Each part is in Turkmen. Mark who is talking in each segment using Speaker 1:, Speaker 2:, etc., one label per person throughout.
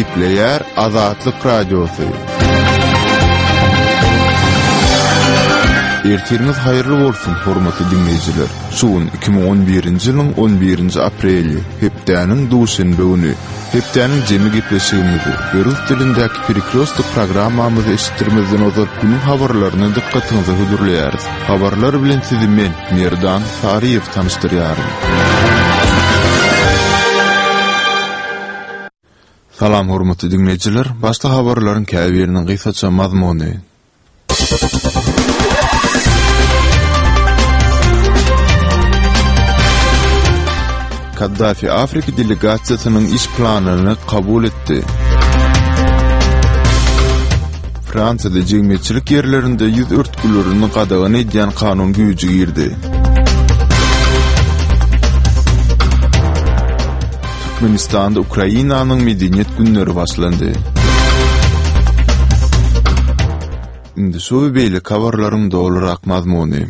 Speaker 1: Gepleýär Azatlyk Radiosy. Ertiriňiz haýyrly bolsun, hormatly diňleýjiler! Şu gün 2011-nji ýylyň 11-nji apreli, hepdäniň duşenbe güni. Hepdäniň jemi gepleşigimizi we rus dilindäki Perekrýostok programmamyzy eşitdirmezden ozal günüň habarlaryny dykgatyňyza hödürleýäris. Habarlar bilen sizi men, Merdan Saryýew tanyşdyrýaryn. Salam hormatly diňleýjiler! Başda habarlaryň käbiriniň gysgaça mazmuny. Kaddafi Afrika delegasiýasynyň iş planyny kabul etdi. Fransiýada jemgyýetçilik ýerlerinde ýüz örtgülerini gadagan edýän kanun güýji girdi. Türkmenistanda Ukrainanyň Medeniýet günleri başlandy. Indi şu we beýleki habarlaryň dolurak mazmuny.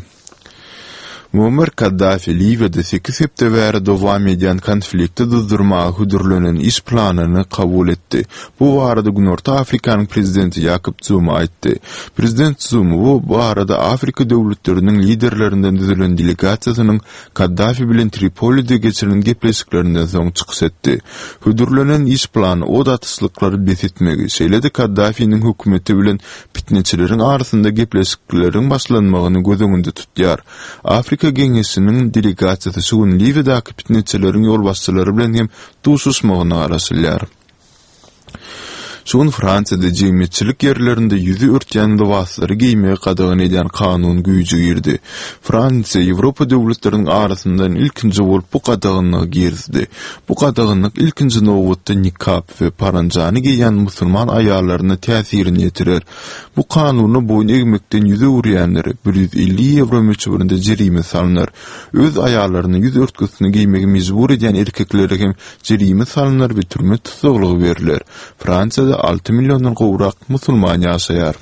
Speaker 1: Muammar Kaddafi Liwiýada sekiz hepde bäri dowam edýän konflikti duzdurmaga hödürlenen iş planyny kabul etdi. Bu barada Günorta Afrikanyň prezidenti Ýakob Zuma aýtdy. Prezident Zuma bu barada Afrika döwletleriniň liderlerinden düzülen delegasiýasynyň Kaddafi bilen Tripolide geçirilen gepleşiklerinden soň çykyş etdi. Hödürlenen iş plany ot atyşlyklary bes etmegi, şeýle-de Kaddafiniň hökümeti bilen pitneçileriň arasynda gepleşikleriň başlanmagyny göz öňünde tutýar. Afrika Geňeşiniň delegasiýasy şu gün Liwiýadaky pitneçileriň ýolbaşçylary bilen hem duşuşmagyna garaşylýar. Şu gün Fransiýada jemgyýetçilik ýerlerinde ýüzi örtýän lybaslary geýmegi gadagan edýän kanun güýje girdi. Fransiýa Ýewropa döwletleriniň arasyndan ilkinji bolup bu gadaganlygy girizdi. Bu gadaganlyk ilkinji nobatda nikap we paranjany geýýän musulman aýallaryna täsirini ýetirer. Bu kanuna boýun egmekden ýüz öwürýänlere 150 ýewro möçberinde jerime salnar. Öz aýallaryna ýüz örtgüsini geýmegi mejbur edýän erkeklere hem jerime salnar we türme tussaglygy berler. Fransiýada alty milliondan gowrak musulman ýaşaýar.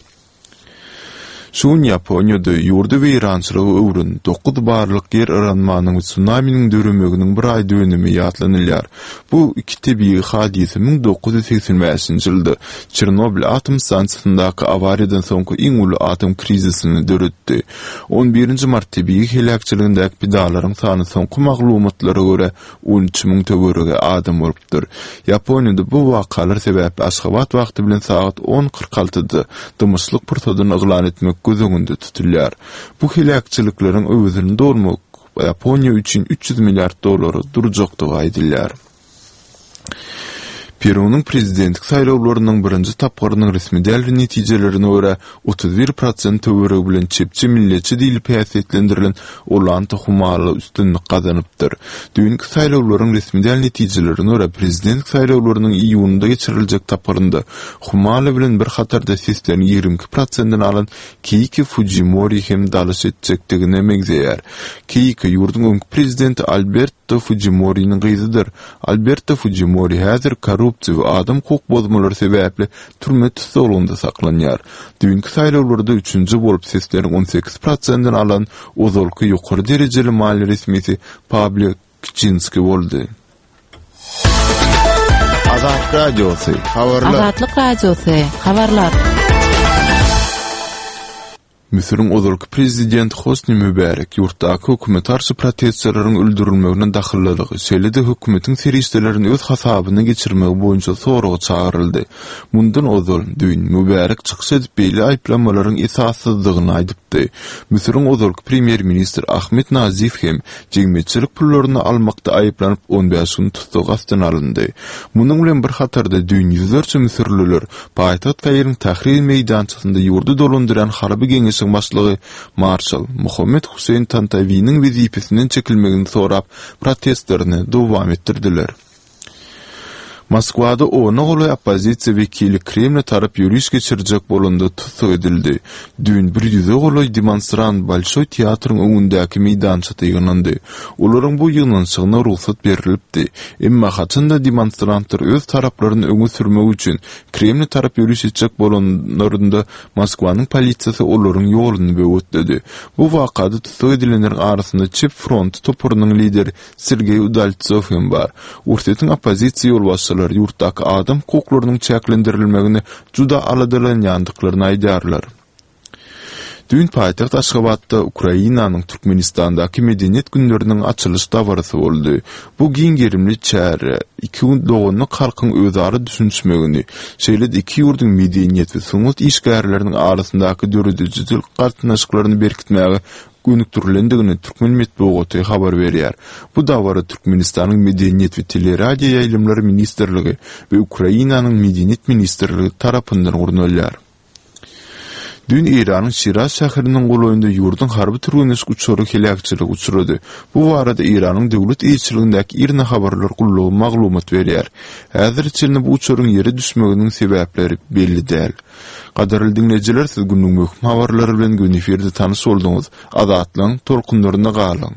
Speaker 1: Şu gün Ýaponiýada ýurdy weýrançylyga öwren dokuz barlyk ýer yranmanyň we sunaminiň döremeginiň bir aý dönümi ýatlanylýar. Bu iki tebigy hadysa 1985-nji ýylda Çernobyl atom stansiýasyndaky awariýadan soňky iň uly atom krizisini döretdi. On birinji mart tebigy heläkçiligindäki pidalaryň sany soňky maglumatlara görä 13 müň töweregi adam bolupdyr. Ýaponiýada bu wakalar sebäpli Aşgabat wagty bilen sagat on 46-da dymyşlyk pursadyny yglan etmek göz öňünde tutulýar. Bu heläkçilikleriň öwezini dolmak Ýaponiýa üçin 300 milliard dollara durjakdygy aýdylýar. Perunyň prezidentlik saýlawlarynyň birinji tapgyrynyň resmi däl netijelerine görä, 31 prosent töweregi bilen çepçi milletçi diýlip häsiýetlendirilen Ollanta Humala üstünlik gazanypdyr. Düýnki saýlawlaryň resmi däl netijelerine görä, prezidentlik saýlawlarynyň iýunda geçiriljek tapgyrynda Humala bilen bir hatarda sesleriň 22 prosentini alan Keýko Fujimori hem dalyş etjekdigine meňzeýär. Keýko ýurduň öňki prezidenti Alberto Fujimoriniň gyzydyr. Alberto Fujimori häzir korrupsiýa we adam hukuk bozmalary sebäpli türme tussaglygynda saklanýar. Düýnki saýlawlarda üçünji bolup sesleriň 18 prosentini alan ozalky ýokary derejeli maliýe resmisi Pablo Kçinski boldy. Azat Radiosy, habarlar.
Speaker 2: Azatlyk Radiosy, habarlar.
Speaker 1: Müsüriň ozalky prezidenti Hosni Mübärek ýurtdaky hökümete garşy protestçileriň öldürilmegine dahyllylygy, şeýle-de hökümetiň serişdelerini öz hasabyna geçirmegi boýunça soraga çagyryldy. Mundan ozal, düýn, Mübärek çykyş edip beýle aýyplamalaryň esassyzdygyny aýdypdy. Müsüriň ozalky premýer-ministri Ahmed Nazif hem jemgyýetçilik pullaryny almakda aýyplanyp 15 gün tussag astyna alyndy. Munuň bilen bir hatarda düýn ýüzlerçe müsürliler paýtagt Kairiň Tahrir meýdançasynda ýurdy dolandyrýan harby geňeşiň başlygy marşal Muhammet Huseýn Tantawiniň wezipesinden çekilmegini sorap protestlerini dowam etdirdiler. Moskwada ona golaý oppozisiýa wekili Kremle tarap ýöriş geçirjek bolanda tussag edildi. Düýn bir ýüze golaý demonstrant Bolşoý teatryň öňündäki meýdançada ýygnandy. Olaryň bu ýygnanyşygyna rugsat berlipdi. Emma haçan-da demonstrantlar öz taraplaryny öňe sürmek üçin Kremle tarap ýöriş etjek bolanlarynda Moskwanyň polisiýasy olaryň ýoluny böwetledi. Bu wakada tussag edilenleriň arasynda Çep fronty toparynyň lideri Sergeý Udaltsow hem bar. Orsýetiň oppozisiýa ýolbaşçylary. ýaşaýjylar ýurtdaky adam hukuklarynyň çäklendirilmegine juda aladalanýandyklaryny aýdýarlar. Düýn paýtagt Aşgabatda Ukrainanyň Türkmenistandaky Medeniýet günleriniň açylyş dabarasy boldy. Bu giň gerimli çäre iki doganlyk halkyň özara düşünişmegini, şeýle-de iki ýurduň medeniýet we sungat işgärleriniň arasyndaky döredijilik gatnaşyklaryny berkitmäge gönükdirilendigini türkmen metbugaty habar berýär. Bu dabara Türkmenistanyň Medeniýet we teleradioýaýlymlar ministrligi we Ukrainanyň Medeniýet ministrligi tarapyndan gurnalýar. Düýn Eýranyň Şiraz şäheriniň golaýynda ýurduň harby türgenleşik uçary heläkçilige uçrady. Bu barada Eýranyň döwlet eýeçiligindäki IRNA habarlar gullugy maglumat berýär. Häzire çenli bu uçaryň ýere düşmeginiň sebäpleri belli däl. Gadyrly diňleýjiler, siz günüň möhüm habarlary bilen göni efirde tanyş bolduňyz. Azatlygyň tolkunlarynda galyň!